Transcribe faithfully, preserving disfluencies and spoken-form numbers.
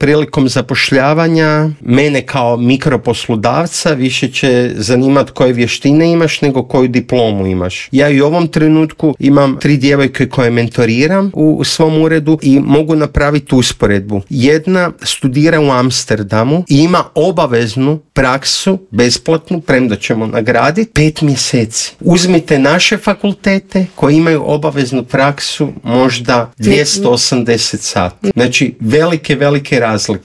prilikom zapošljavanja mene kao mikroposlodavca više će zanimati koje vještine imaš nego koju diplomu imaš. Ja i u ovom trenutku imam tri djevojke koje mentoriram u, u svom uredu i mogu napraviti usporedbu. Jedna studira u Amsterdamu i ima obaveznu praksu, besplatnu, premda ćemo nagraditi, pet mjeseci. Uzmite naše fakultete koji imaju obaveznu praksu možda dvjesto osamdeset sati. Znači velike, velike razlike.